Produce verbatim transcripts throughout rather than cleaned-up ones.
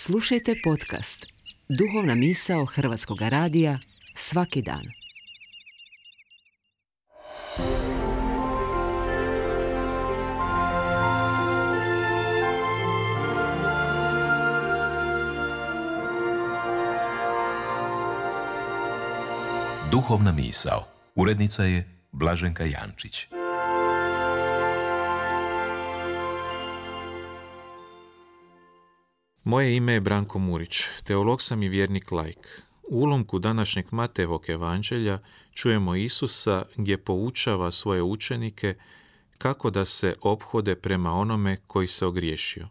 Slušajte podcast Duhovna misao Hrvatskog radija svaki dan. Duhovna misao. Urednica je Blaženka Jančić. Moje ime je Branko Murić, teolog sam i vjernik laik. U ulomku današnjeg Matejevog evanđelja čujemo Isusa gdje poučava svoje učenike kako da se ophode prema onome koji se ogriješio.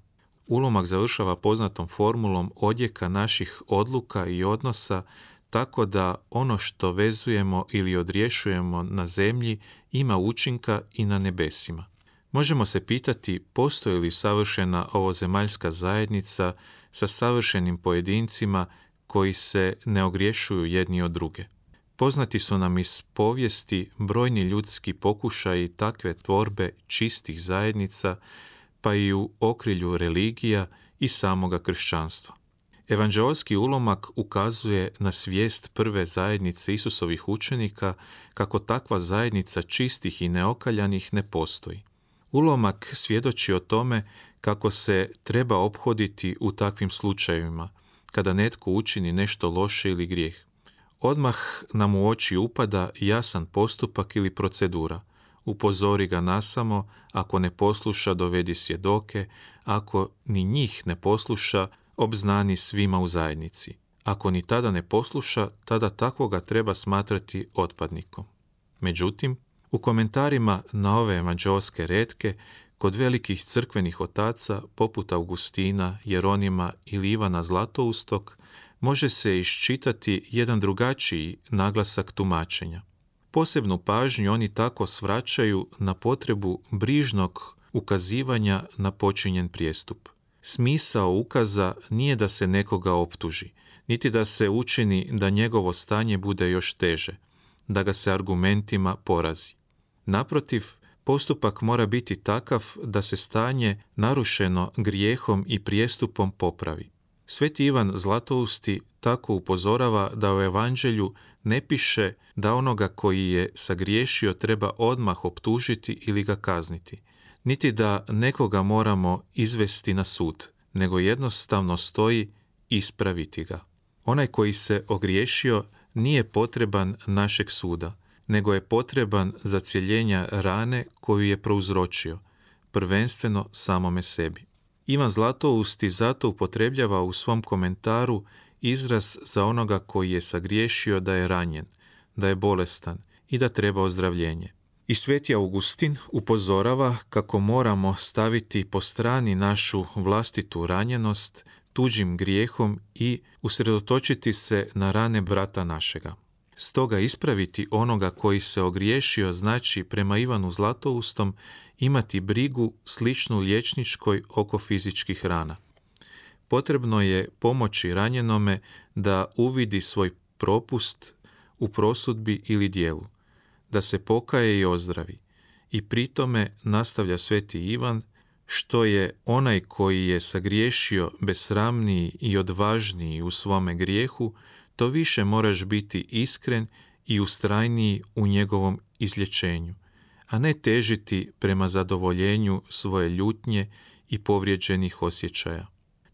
Ulomak završava poznatom formulom odjeka naših odluka i odnosa tako da ono što vezujemo ili odriješujemo na zemlji ima učinka i na nebesima. Možemo se pitati postoji li savršena ovozemaljska zajednica sa savršenim pojedincima koji se ne ogriješuju jedni od druge. Poznati su nam iz povijesti brojni ljudski pokušaji takve tvorbe čistih zajednica, pa i u okrilju religija i samoga kršćanstva. Evanđeolski ulomak ukazuje na svijest prve zajednice Isusovih učenika kako takva zajednica čistih i neokaljanih ne postoji. Ulomak svjedoči o tome kako se treba ophoditi u takvim slučajevima, kada netko učini nešto loše ili grijeh. Odmah nam u oči upada jasan postupak ili procedura. Upozori ga nasamo, ako ne posluša dovedi svjedoke, ako ni njih ne posluša obznani svima u zajednici. Ako ni tada ne posluša, tada takvoga treba smatrati otpadnikom. Međutim, u komentarima na ove evanđeoske retke, kod velikih crkvenih otaca, poput Augustina, Jeronima ili Ivana Zlatoustog, može se iščitati jedan drugačiji naglasak tumačenja. Posebnu pažnju oni tako svraćaju na potrebu brižnog ukazivanja na počinjen prijestup. Smisao ukaza nije da se nekoga optuži, niti da se učini da njegovo stanje bude još teže, da ga se argumentima porazi. Naprotiv, postupak mora biti takav da se stanje narušeno grijehom i prijestupom popravi. Sveti Ivan Zlatousti tako upozorava da u evanđelju ne piše da onoga koji je sagriješio treba odmah optužiti ili ga kazniti, niti da nekoga moramo izvesti na sud, nego jednostavno stoji ispraviti ga. Onaj koji se ogriješio nije potreban našeg suda, nego je potreban zacjeljenja rane koju je prouzročio, prvenstveno samome sebi. Ivan Zlatousti zato upotrebljava u svom komentaru izraz za onoga koji je sagriješio da je ranjen, da je bolestan i da treba ozdravljenje. I sveti Augustin upozorava kako moramo staviti po strani našu vlastitu ranjenost tuđim grijehom i usredotočiti se na rane brata našega. Stoga ispraviti onoga koji se ogriješio znači prema Ivanu Zlatoustom imati brigu sličnu liječničkoj oko fizičkih rana. Potrebno je pomoći ranjenome da uvidi svoj propust u prosudbi ili dijelu, da se pokaje i ozdravi. I pri tome, nastavlja sveti Ivan, što je onaj koji je sagriješio besramniji i odvažniji u svome grijehu, to više moraš biti iskren i ustrajniji u njegovom izlječenju, a ne težiti prema zadovoljenju svoje ljutnje i povrijeđenih osjećaja.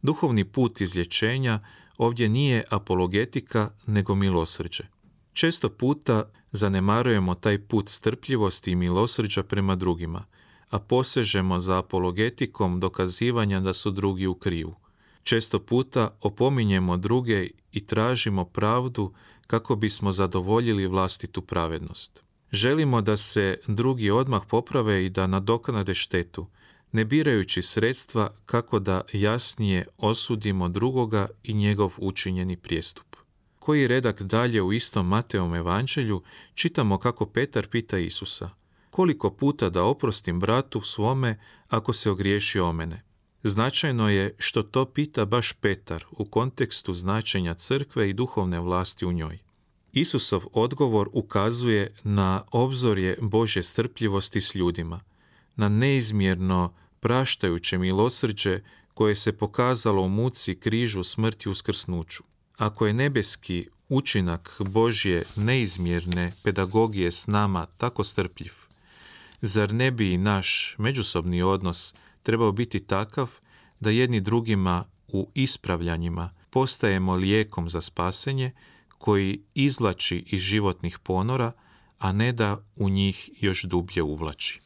Duhovni put izlječenja ovdje nije apologetika, nego milosrđe. Često puta zanemarujemo taj put strpljivosti i milosrđa prema drugima, a posežemo za apologetikom dokazivanja da su drugi u krivu. Često puta opominjemo druge i tražimo pravdu kako bismo zadovoljili vlastitu pravednost. Želimo da se drugi odmah poprave i da nadoknade štetu, ne birajući sredstva kako da jasnije osudimo drugoga i njegov učinjeni prijestup. Koji redak dalje u istom Mateovom evanđelju čitamo kako Petar pita Isusa: koliko puta da oprostim bratu svome ako se ogriješi o mene? Značajno je što to pita baš Petar u kontekstu značenja crkve i duhovne vlasti u njoj. Isusov odgovor ukazuje na obzorje Božje strpljivosti s ljudima, na neizmjerno praštajuće milosrđe koje se pokazalo u muci, križu, smrti, uskrsnuću. Ako je nebeski učinak Božje neizmjerne pedagogije s nama tako strpljiv, zar ne bi i naš međusobni odnos trebao biti takav da jedni drugima u ispravljanjima postajemo lijekom za spasenje koji izvlači iz životnih ponora, a ne da u njih još dublje uvlači?